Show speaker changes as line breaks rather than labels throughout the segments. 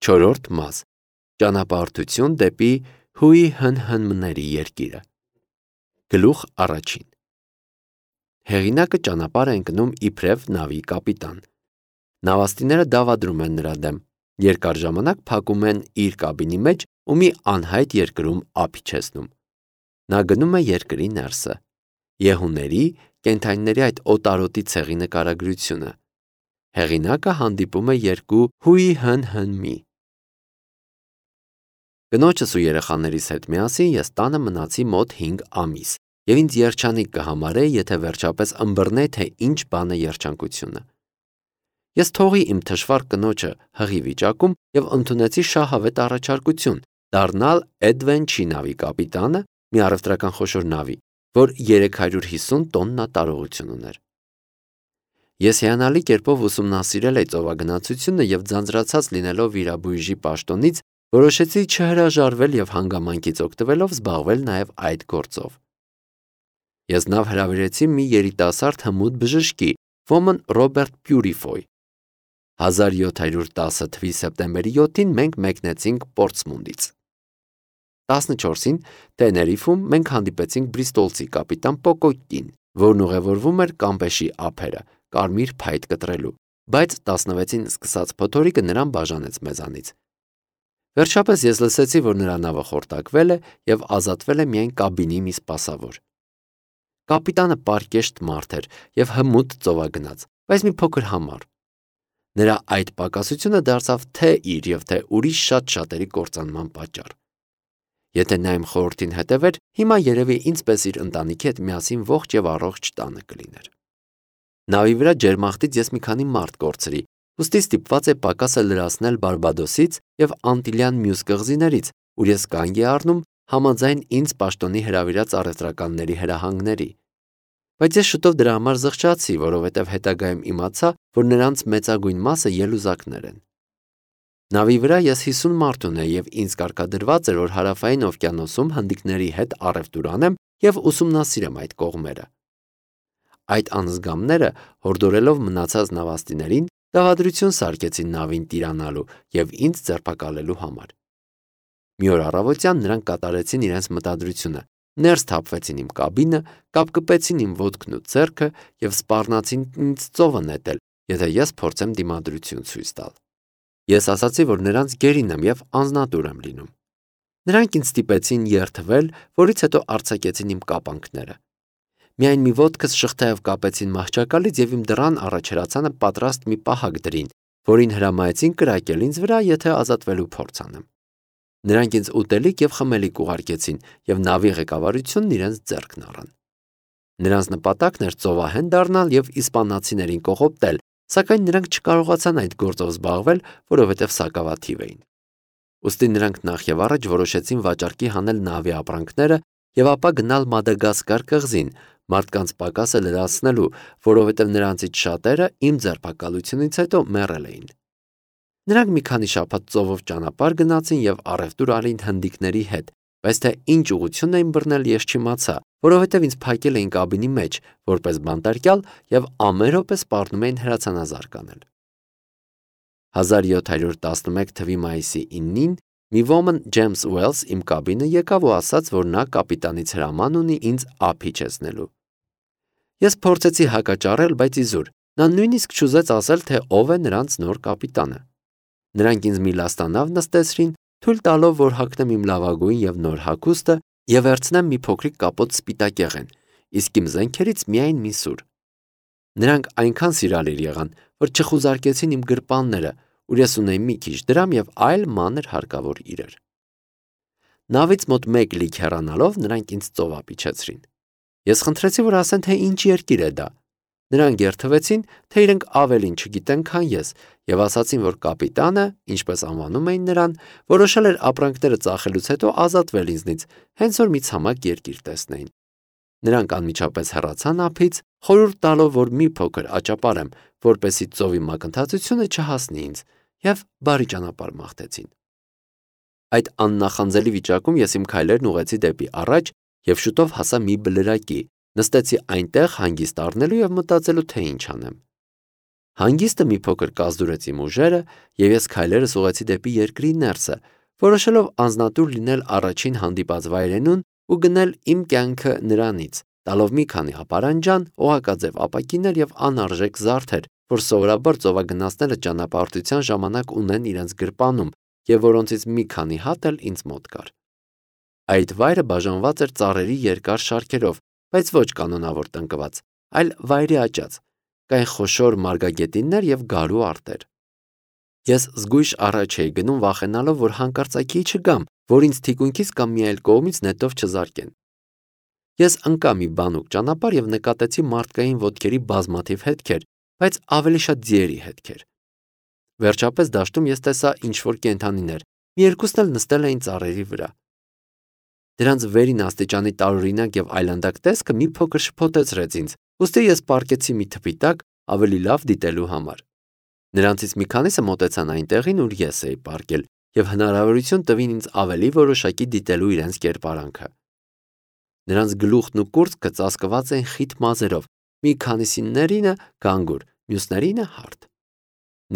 Չորրորդ մաս. Ճանապարհորդություն դեպի Հուի հնհնմների երկիրը։ Գլուխ առաջին։ Հեղինակը ճանապարհ է ընկնում իբրև նավի կապիտան։ Նավաստիները դավադրում են նրա դեմ, երկար ժամանակ փակում են իր կաբինի մեջ ու մի անհայտ երկրում ափ իջեցնում։ Նա գնում է երկրի ներսը։ Եհուների, կենդանիների այդ օտարոտի ցեղի նկարագրությունը։ Հեղինակը հանդիպում է երկու Հուի հնհնմի։ Կնոջս ու երեխաներիս հետ միասին ես տանը մնացի մոտ 5 ամիս, և ինձ երջանիկ կհամարեի, եթե վերջապես ըմբռնեի, թե ինչ բան է երջանկությունը։ Ես թողի իմ թշվառ կնոջը հղի վիճակում և ընդունեցի շահավետ առաջարկություն դառնալ Էդվենչի նավի կապիտանը, մի առևտրական խոշոր նավի, որ 350 տոննա տարողություն ուներ։ Ես հիանալի կերպով ուսումնասիրել էի ծովագնացությունը և ձանձրացած լինելով վիրաբույժի պաշտոնից, որոշեցի չհրաժարվել և հանգամանքից օգտվելով զբաղվել նաև այդ գործով։ Ես նավ հրավիրեցի մի երիտասարդ հմուտ բժշկի, ոմն Ռոբերտ Պյուրիֆոյ։ 1710 թվականի սեպտեմբերի 7-ին մենք մեկնեցինք Պորտսմունդից։ 14-ին Տեներիֆում մենք հանդիպեցինք բրիստոլցի կապիտան Պոկոկին, որն ուղևորվում էր Կամպեշի ափերը, կարմիր փայտ կտրելու, բայց 16-ին սկսած փոթորիկը նրան բաժանեց մեզանից։ Վերջապես ես լսեցի, որ նրա նավը խորտակվել է և ազատվել է միայն կաբինի մի սպասավոր։ Կապիտանը պարկեշտ մարդ էր և հմուտ ծովագնաց, բայց մի փոքր համառ։ Նրա այդ պակասությունը դարձավ թե իր և թե ուրիշ շատ-շատերի կործանման պատճառ։ Եթե նա իմ խորհրդին հետևեր, հիմա երևի ինձ պես իր ընտանիքի հետ միասին ողջ և առողջ տանը կլիներ։ Նավի վրա ջերմախտից ես մի քանի մարդ կորցրի, ուստի ստիպված էի պակասը լրացնել Բարբադոսից և Անտիլյան մյուս կղզիներից, ուր ես կանգ էի առնում համաձայն ինձ պաշտոնի հրավիրած առևտրականների հրահանգների։ Բայց ես շուտով դրա համար զղջացի, որովհետև հետագայում իմացա, որ նրանց մեծագույն մասը ելուզակներ են։ Նավի վրա ես 50 մարդ ունեի և ինձ կարգադրված էր, որ Հարավային օվկիանոսում հնդիկների հետ առևտուր անեմ և ուսումնասիրեմ այդ կողմերը։ Այդ անզգամները, հորդորելով մնացած նավաստիներին, դավադրություն սարքեցին նավին տիրանալու և ինձ ձերբակալելու համար։ Մի օր առավոտյան նրանք կատարեցին իրենց մտադրությունը, ներս թափվեցին իմ կաբինը, կապկպեցին իմ ոտքն ու ձեռքը և սպառնացին ինձ ծովը նետել, եթե ես փորձեմ դիմադրություն ցույց տալ։ Ես ասացի, որ նրանց գերին եմ և անձնատուր եմ լինում։ Նրանք ինձ ստիպեցին երդվել, որից հետո արձակեցին իմ կապանքները։ Միայն մի ոտքս շղթայով կապեցին մահճակալից և իմ դռան առաջ հրացանը պատրաստ մի պահակ դրին, որին հրամայեցին կրակել ինձ վրա, եթե ազատվելու փորձ անեմ։ Նրանք ինձ ուտելիք և խմելիք ուղարկեցին և նավի ղեկավարությունն իրենց ձեռքն առան։ Նրանց նպատակն էր ծովահեն դառնալ և իսպանացիներին կողոպտել, սակայն նրանք չկարողացան այդ գործով զբաղվել, որովհետև սակավաթիվ էին։ Ուստի նրանք նախ և առաջ որոշեցին վաճառքի հանել նավի ապրանքները և ապա գնալ Մադագասկար կղզին, մարդկանց պակասը լրացնելու, որովհետև նրանցից շատերը իմ ձերբակալությունից հետո մեռել էին։ Նրանք մի քանի շաբաթ ծովով ճանապարհ գնացին և առևտուր արին հնդիկների հետ, բայց թե ինչ ուղղություն էին բռնել ես չիմացա, որովհետև ինձ փակել էին կաբինի մեջ, որպես բանտարկյալ և ամեն րոպե սպառնում էին հրացանազարկ անել։ 1711 թվականի մայիսի 9-ին մի ոմն Ջեյմս Ուելս իմ կաբինը եկավ ու ասաց, որ նա կապիտանից հրաման ունի ինձ ափ իջեցնելու։ Ես փորձեցի հակաճառել, բայց իզուր, նա նույնիսկ չուզեց ասել, թե ով է նրանց նոր կապիտանը։ Նրանք ինձ մի լաստանավ նստեցրին, թույլ տալով, որ հագնեմ իմ լավագույն և նոր հագուստը և վերցնեմ մի փոքրիկ կապոտ սպիտակեղեն, իսկ իմ զենքերից միայն մի սուր։ Նրանք այնքան սիրալիր եղան, որ չխուզարկեցին իմ գրպանները, ուր ես ունեի մի քիչ դրամ և այլ մանր հարկավոր իրեր։ Նավից մոտ 1 լիք հեռանալով նրանք ինձ ծովափ իջեցրին։ Ես խնդրեցի, որ ասեն, թե ինչ երկիր է դա։ Նրանք երդվեցին, թե իրենք ավելին չգիտեն, քան ես, և ասացին, որ կապիտանը, ինչպես անվանում էին նրան, որոշել էր ապրանքները ծախելուց հետո ազատվել ինձնից, հենց որ մի ցամաք երկիր տեսնեին։ Նրանք անմիջապես հեռացան ափից, խորհուրդ տալով, որ մի փոքր աճապարեմ, որպեսզի ծովի մակընթացությունը չհասնի ինձ, և բարի ճանապարհ մաղթեցին։ Այդ աննախանձելի վիճակում ես իմ քայլերն ուղղեցի դեպի առաջ և շուտով հասա մի բլրակի, նստեցի այնտեղ հանգիստ առնելու և մտածելու, թե ինչ անեմ։ Հանգիստը մի փոքր կազդուրեց իմ ուժերը, եւ ես քայլերս ուղղեցի դեպի երկրի ներսը, որոշելով անձնատուր լինել առաջին հանդիպած վայրենուն ու գնել իմ կյանքը նրանից, տալով մի քանի ապարանջան, օղակաձև ապակիներ եւ անարժեք զարդեր, որ սովորաբար ծովագնացները ճանապարհորդության ժամանակ ունեն իրենց գրպանում եւ որոնցից մի քանի հատ էլ ինձ մոտ կար։ Այդ վայրը բաժանված էր ծառերի երկար շարքերով, բայց ոչ կանոնավոր տնկված, այլ վայրի աճած, կային խոշոր մարգագետիններ եւ գարու արտեր։ Ես զգույշ առաջ էի գնում, վախենալով, որ հանկարծակի չգամ, որ ինձ թիկունքից կամ մի այլ կողմից նետով չզարկեն։ Ես ընկա մի բանուկ ճանապարհ եւ նկատեցի մարդկային ոտքերի բազմաթիվ հետքեր, բայց ավելի շատ ձիերի հետքեր։ Վերջապես դաշտում ես տեսա ինչ-որ կենդանիներ, մի երկուսն էլ նստել էին ծառերի վրա։ Դրանց վերին աստիճանի տարօրինակ եւ այլանդակ տեսքը մի փոքր շփոթեցրեց ինձ, ուստի ես պառկեցի մի թփի տակ ավելի լավ դիտելու համար։ Նրանցից մի քանիսը մոտեցան այն տեղին, ուր ես էի պառկել, եւ հնարավորություն տվին ինձ ավելի որոշակի դիտելու իրենց կերպարանքը։ Նրանց գլուխն ու կուրծքը ծածկված էին խիտ մազերով, մի քանիսիներինը գանգուր, մյուսներինը հարթ։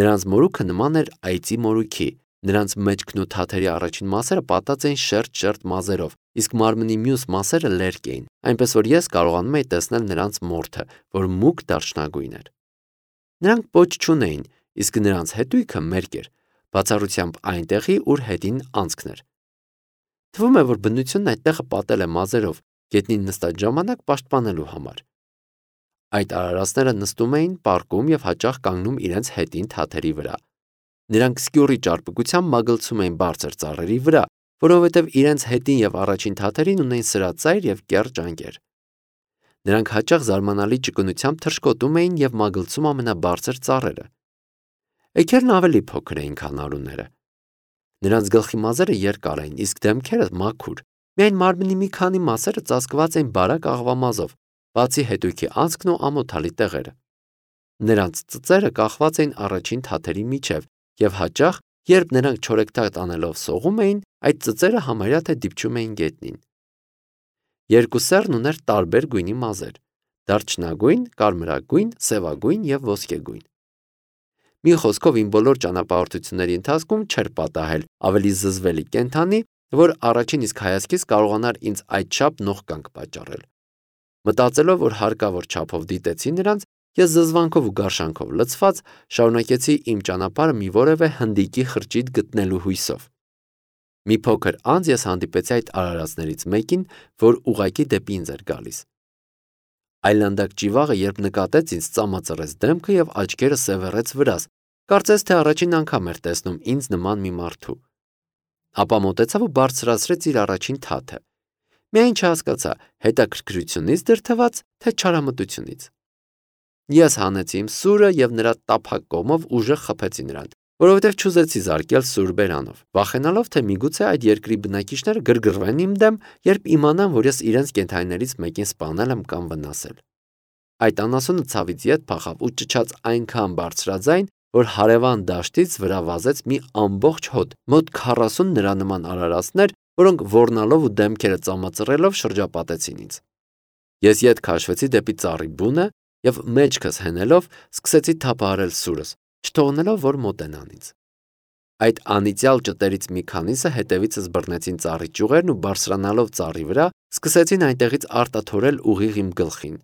Նրանց մորուքը նման էր այծի մորուքի, նրանց մեջքն ու թաթերի առաջին մասերը պատած էին շերտ-շերտ մազերով, իսկ մարմնի մյուս մասերը լերկ էին, այնպես որ ես կարողանում էի տեսնել նրանց մորթը, որ մուգ դարչնագույն էր։ Նրանք պոչ չունեին, իսկ նրանց հետույքը մերկ էր, բացառությամբ այնտեղի, ուր հետին անցքն էր։ Թվում է, որ բնությունն այդտեղը պատել է մազերով, գետնին նստած ժամանակ պաշտպանելու համար։ Այդ արարածները նստում էին, պառկում եւ հաճախ կանգնում իրենց հետին թաթերի վրա։ Նրանք սկյուռի ճարպկությամբ մագլցում էին բարձր ծառերի վրա, որովհետև իրենց հետին եւ առաջին թաթերին ունեին սրածայր եւ կեռ ճանկեր։ Նրանք հաճախ զարմանալի ճկունությամբ թռչկոտում էին եւ մագլցում ամենաբարձր ծառերը։ Էգերն ավելի փոքր էին, քան արուները։ Նրանց գլխի մազերը երկար էին, իսկ դեմքերը մաքուր։ Միայն մարմնի մի քանի մասերը ծածկված էին բարակ աղվամազով, բացի հետույքի անցքն ու ամոթալի տեղերը։ Նրանց ծծերը կախված էին առաջին թաթերի միջև, եւ հաճախ, երբ նրանք չորեքթաթ անելով սողում էին, այդ ծծերը համարյա թե դիպչում էին գետնին։ Երկու սեռն ուներ տարբեր գույնի մազեր՝ դարչնագույն, կարմրագույն, սևագույն եւ ոսկեգույն։ Մի խոսքով իմ բոլոր ճանապարհորդությունների ընթացքում չէր պատահել ավելի զզվելի կենդանի, որ առաջին իսկ հայացքից կարողանար ինձ այդչափ նողկանք պատճառել։ Մտածելով, որ հարկավոր չափով դիտեցի նրանց, ես զզվանքով ու գարշանքով լցված շարունակեցի իմ ճանապարհը մի որևէ հնդիկի խրճիթ գտնելու հույսով։ Մի փոքր անց ես հանդիպեցի այդ արարածներից մեկին, որ ուղղակի դեպի ինձ էր գալիս։ Այլանդակ ճիվաղը, երբ նկատեց ինձ, ծամածրեց դեմքը եւ աչքերը սևեռեց վրաս, կարծես թե առաջին անգամ էր տեսնում ինձ նման մի մարդու։ Ապա մոտեցավ ու բարձրացրեց իր առաջին թաթը։ Միայն չհասկացա հետաքրքրությունից դրդված, թե չարամտությունից։ Ես հանեցի իմ սուրը եւ նրա տափակ կողմով ուժեղ խփեցի նրան, որովհետեւ չուզեցի զարկել սուր բերանով, վախենալով, թե միգուցե այդ երկրի բնակիչները գրգռվեն իմ դեմ, երբ իմանան, որ ես իրենց կենդանիներից մեկին սպանել եմ կամ վնասել։ Այդ անասունը ցավից ետ փախավ ու ճչաց այնքան բարձրաձայն, որ հարևան դաշտից վրա վազեց մի ամբողջ հոտ, մոտ 40 նրա նման արարածներ, որոնք ոռնալով ու դեմքերը ծամածռելով շրջապատեցին ինձ։ Ես ետ քաշվեցի դեպի ծառի բունը եւ մեջքս հենելով սկսեցի թափահարել սուրս, չթողնելով, որ մոտենան ինձ։ Այդ անիծյալ ճտերից մի քանիսը հետևիցս բռնեցին ծառի ճյուղերն ու բարձրանալով ծառի վրա, սկսեցին այնտեղից արտաթորել ուղիղ իմ գլխին։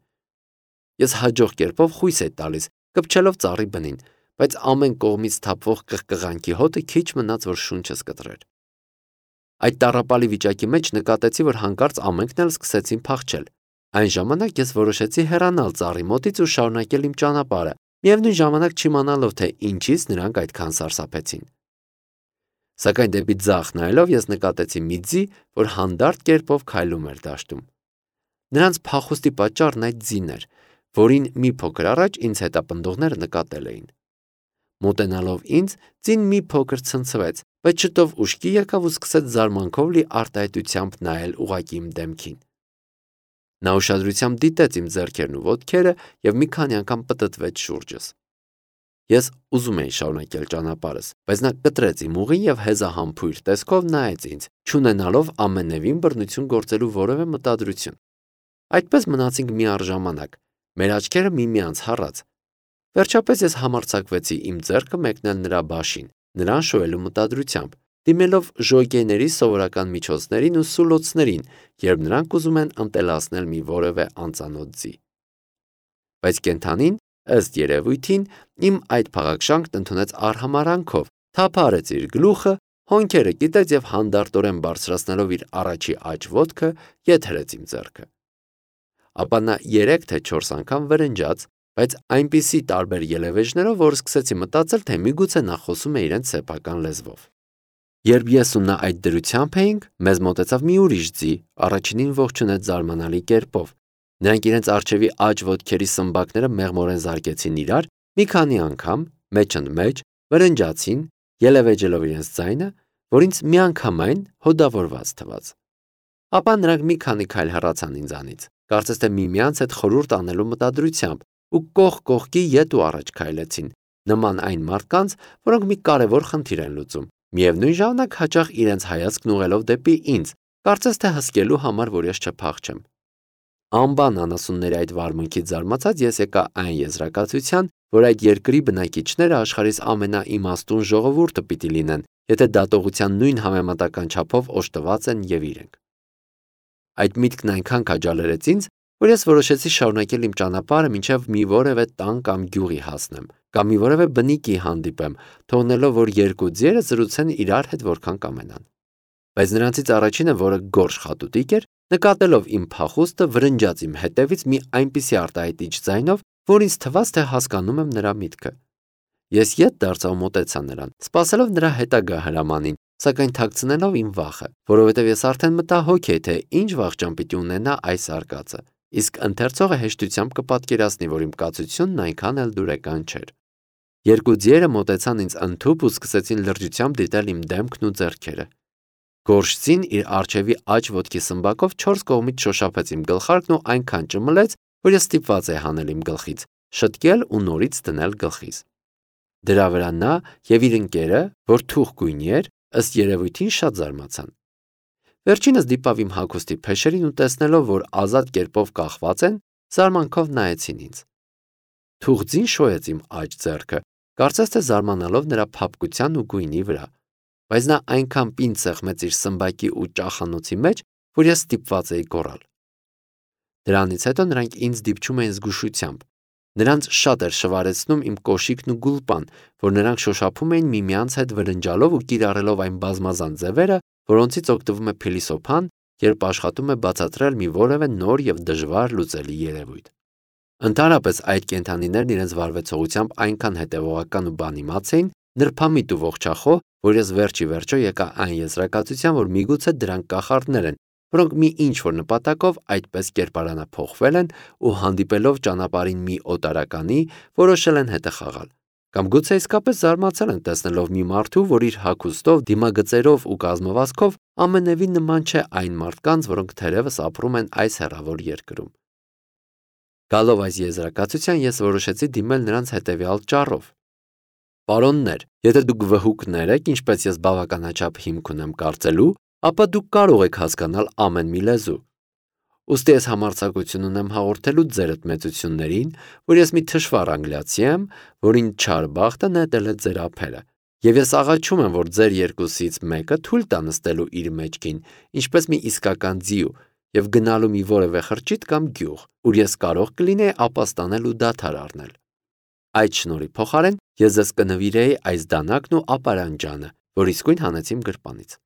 Ես հաջող կերպով խույս էի տալիս, կպչելով ծառի բնին, բայց ամեն կողմից թափվող կղկղանքի հոտը քիչ մնաց, որ շունչս կտրեր։ Այդ տառապալի վիճակի մեջ նկատեցի, որ հանկարծ ամենքն էլ սկսեցին փախչել։ Այն ժամանակ ես որոշեցի հեռանալ ծառի մոտից ու շարունակել իմ ճանապարհը, միևնույն ժամանակ չիմանալով, թե ինչից նրանք այդքան սարսափեցին։ Սակայն դեպի ձախ նայելով ես նկատեցի մի ձի, որ հանդարտ կերպով քայլում էր դաշտում։ Նրանց փախուստի պատճառն այդ ձին էր, որին մի փոքր առաջ ինձ հետապնդողները նկատել էին։ Մոտենալով ինձ, ձին մի փոքր ցնցվեց, բայց շուտով ուշքի եկավ ու սկսեց զարմանքով լի արտահայտությամբ նայել ուղղակի իմ դեմքին։ Նա ուշադրությամբ դիտեց իմ ձեռքերն ու ոտքերը եւ մի քանի անգամ պտտվեց շուրջս։ Ես ուզում էի շարունակել ճանապարհս, բայց նա կտրեց իմ ուղին եւ հեզահամբույր տեսքով նայեց ինձ, չունենալով ամենևին բռնություն գործելու որևէ մտադրություն։ Այդպես մնացինք միառժամանակ, մեր աչքերը միմյանց հառած։ Վերջապես ես համարձակվեցի իմ ձեռքը մեկնել նրա բաշին, նրան շոյելու մտադրությամբ, դիմելով ժոկեյների սովորական միջոցներին ու սուլոցներին, երբ նրանք ուզում են ընտելացնել մի որևէ անծանոթ ձի։ Բայց կենդանին, ըստ երևույթին, իմ այդ փաղաքշանքն ընդունեց արհամարանքով, թափարեց իր գլուխը, հոնքերը կիտեց եւ հանդարտորեն բարձրացնելով իր առաջի աջ ոտքը, ետ հրեց իմ ձեռքը։ Ապա նա 3 թե 4 անգամ վրնջաց, բայց այնպիսի տարբեր ելևէջներով, որ սկսեցի մտածել, թե միգուցե նա խոսում է իրենց սեփական լեզվով։ Երբ ես ու նա այդ դրությամբ էինք, մեզ մոտեցավ մի ուրիշ ձի, առաջինին ողջունեց զարմանալի կերպով։ Նրանք իրենց առջևի աջ ոտքերի սմբակները մեղմորեն զարկեցին իրար, մի քանի անգամ, մեջընդմեջ, վրնջացին, ելևէջելով իրենց ձայնը, որ ինձ միանգամայն հոդավորված թվաց։ Ապա նրանք մի քանի քայլ հեռացան ինձանից, կարծես թե միմյանց հետ խորհուրդ անելու մտադրությամբ, ու կողք կողքի ետ ու առաջ քայլեցին, նման այն մարդկանց, որոնք մի կարևոր խնդիր են լուծում, միևնույն ժամանակ հաճախ իրենց հայացքն ուղղելով դեպի ինձ, կարծես թե հսկելու համար, որ ես չփախչեմ։ Անբան անասունների այդ վարմունքից զարմացած ես եկա այն եզրակացության, որ այդ երկրի բնակիչները աշխարհիս ամենաիմաստուն ժողովուրդը պիտի լինեն, եթե դատողության նույն համեմատական չափով օժտված են եւ իրենք։ Այդ միտքն այնքան քաջալերեց ինձ, որ ես որոշեցի շարունակել իմ ճանապարհը մինչև մի որևէ տան կամ գյուղի հասնեմ, կամ մի որևէ բնիկի հանդիպեմ, թողնելով, որ երկու ձիերը զրուցեն իրար հետ որքան կամենան։ Բայց նրանցից առաջինը, որը գորշ խատուտիկ էր, նկատելով իմ փախուստը, վրնջաց իմ հետևից մի այնպիսի արտահայտիչ ձայնով, որ ինձ թվաց, թե հասկանում եմ նրա միտքը։ Ես ետ դարձա ու մոտեցա նրան, սպասելով նրա հետագա հրամանին, սակայն թաքցնելով իմ վախը, որովհետև ես արդեն մտահոգ էի, թե ինչ վախճան պիտի ունենա այս արկածը, իսկ ընթերցողը հեշտությամբ կպատկերացնի, որ իմ կացությունն այնքան էլ դուրեկան չէր։ Երկու ձիերը մոտեցան ինձ ընդհուպ ու սկսեցին լրջությամբ դիտել իմ դեմքն ու ձեռքերը։ Գորշձին իր առջևի աջ ոտքի սմբակով 4 կողմից շոշափեց իմ գլխարկն ու այնքան ճմլեց, որ ես ստիպված էի հանել իմ գլխից, շտկել ու նորից դնել գլխիս։ Դրա վրա նա եւ իր ընկերը, որ թուխ գույնի էր, ըստ երևույթին շատ զարմացան։ Վերջինս դիպավ իմ հագուստի փեշերին ու տեսնելով, որ ազատ կերպով կախված են, զարմանքով նայեցին ինձ։ Թուղձին շոյեց իմ աջ ձեռքը, կարծես թե զարմանալով նրա փափկության ու գույնի վրա, բայց նա այնքան պինդ սեղմեց իր սմբակի ու ճախանոցի մեջ, որ ես ստիպված էի գոռալ։ Դրանից հետո նրանք ինձ դիպչում էին զգուշությամբ։ Նրանց շատ էր շվարեցնում իմ կոշիկն ու գուլպան, որ նրանք շոշափում էին միմյանց հետ վրնջալով ու կիրառելով այն բազմազան ձևերը, որոնցից օգտվում է փիլիսոփան, երբ աշխատում է բացատրել մի որևէ նոր եւ դժվար լուծելի երևույթ։ Ընդհանրապես այդ կենդանիներն իրենց վարվեցողությամբ այնքան հետևողական ու բանիմաց էին, նրբամիտ ու ողջախոհ, որ ես վերջի վերջո եկա այն եզրակացության, որ միգուցե դրանք կախարդներ են, որոնք մի ինչ-որ նպատակով այդպես կերպարանափոխվել են ու հանդիպելով ճանապարհին մի օտարականի, որոշել են հետը խաղալ։ Կամ գուցե իսկապես զարմացել են տեսնելով մի մարդու, որ իր հագուստով, դիմագծերով ու կազմվածքով ամենևին նման չէ այն մարդկանց, որոնք թերևս ապրում են այս հեռավոր երկրում։ Գալով այս եզրակացության, ես որոշեցի դիմել նրանց հետևյալ ճառով. Պարոններ, եթե դուք վհուկներ եք, ինչպես ես բավականաչափ հիմք ունեմ կարծելու, ապա դուք կարող եք հասկանալ ամեն մի լեզու։ Ուստի ես համարձակություն ունեմ հաղորդելու ձերդ մեծություններին, որ ես մի թշվառ անգլիացի եմ, որին չար բախտը նետել է ձեր ափերը, եւ ես աղաչում եմ, որ ձեր երկուսից մեկը թույլ տա նստելու իր մեջքին, ինչպես մի իսկական ձիու, եւ գնալու մի որևէ խրճիթ կամ գյուղ, ուր ես կարող կլինեի ապաստանել ու դադար առնել։ Այդ շնորհի փոխարեն ես ձեզ կնվիրեի այս դանակն ու ապարանջանը, որ իսկույն հանեց իմ գրպանից։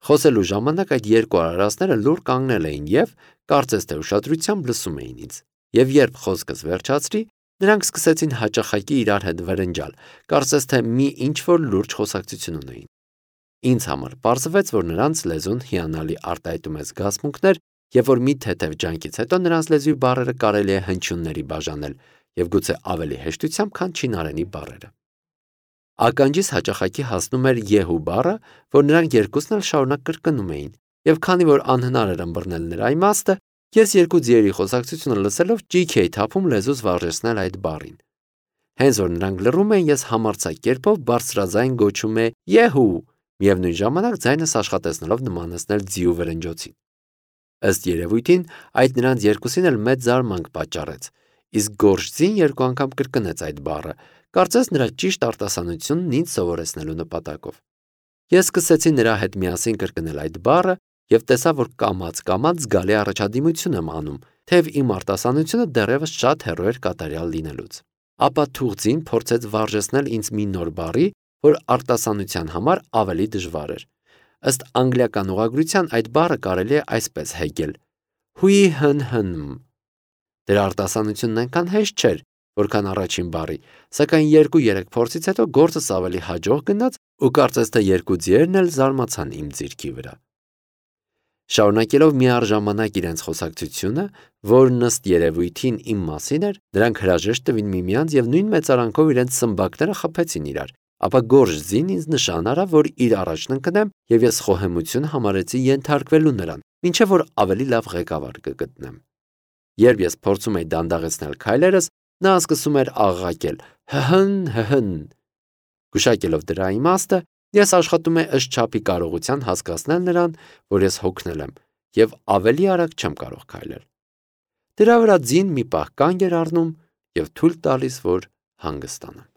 Խոսելու ժամանակ այդ երկու արարածները լուռ կանգնել էին եւ, կարծես թե ուշադրությամբ լսում էին ինձ։ Եվ երբ խոսքս վերջացրի, նրանք սկսեցին հաճախակի իրար հետ վրնջալ, կարծես թե մի ինչ-որ լուրջ խոսակցություն ունեին։ Ինձ համար պարզվեց, որ նրանց լեզուն հիանալի արտահայտում է զգացմունքներ եւ որ մի թեթև ջանքից հետո նրանց լեզվի բառերը կարելի է հնչյունների բաժանել եւ գուցե ավելի հեշտությամբ, քան չինարենի բառերը։ Ականջիս հաճախակի հասնում էր եհու բառը, որ նրանք երկուսն էլ շարունակ կրկնում էին, եւ քանի որ անհնար էր ըմբռնել նրա իմաստը, ես երկու ձիերի խոսակցությունը լսելով ճիք էի թափում լեզուս վարժեցնել այդ բառին։ Հենց որ նրանք լռում էին, ես համարձակ կերպով բարձրաձայն գոչում է եհու, միևնույն ժամանակ ձայնս աշխատեցնելով նմանեցնել ձիու վրնջոցին։ Ըստ երևույթին, այդ նրանց երկուսին էլ մեծ զարմանք պատճառեց, Իսկ գորշձին 2 անգամ կրկնեց այդ բառը, կարծես նրա ճիշտ արտասանությունն ինձ սովորեցնելու նպատակով։ Ես սկսեցի նրա հետ միասին կրկնել այդ բառը եւ տեսա, որ կամաց զգալի առաջադիմություն եմ անում, թեև իմ արտասանությունը դեռևս շատ հեռու էր կատարյալ լինելուց։ Ապա թուղթին փորձեց վարժեցնել ինձ մի նոր բառի, որ արտասանության համար ավելի դժվար էր։ Ըստ անգլիական ուղղագրության այդ բառը կարելի է այսպես հեգել. հույհնհնում։ Դրա արտասանությունն այնքան հեշտ չէր, որքան առաջին բառի, սակայն 2-3 փորձից հետո գործս ավելի հաջող գնաց ու կարծես թե 2 ձիերն էլ զարմացան իմ ձիրքի վրա։ Շարունակելով միառժամանակ իրենց խոսակցությունը, որն ըստ երևույթին իմ մասին էր, դրանք հրաժեշտ տվին միմյանց եւ նույն մեծարանքով իրենց սմբակները խփեցին իրար, ապա գորշձին ինձ նշան արավ, որ իր առաջն ընկնեմ եւ ես խոհեմություն համարեցի ենթարկվելու նրան, ինչեւ որ ավելի լավ ղեկավար կգտնեմ։ Երբ ես փորձում էի դանդաղեցնել քայլերս, նա սկսում էր աղաղակել. հհն։ Գուշակելով դրա իմաստը, ես աշխատում եմ ըստ չափի կարողության հասկացնել նրան, որ ես հոգնել եմ եւ ավելի արագ չեմ կարող քայլել։ Դրա վրա ձին մի պահ կանգ էր առնում եւ թույլ տալիս, որ հանգստանամ։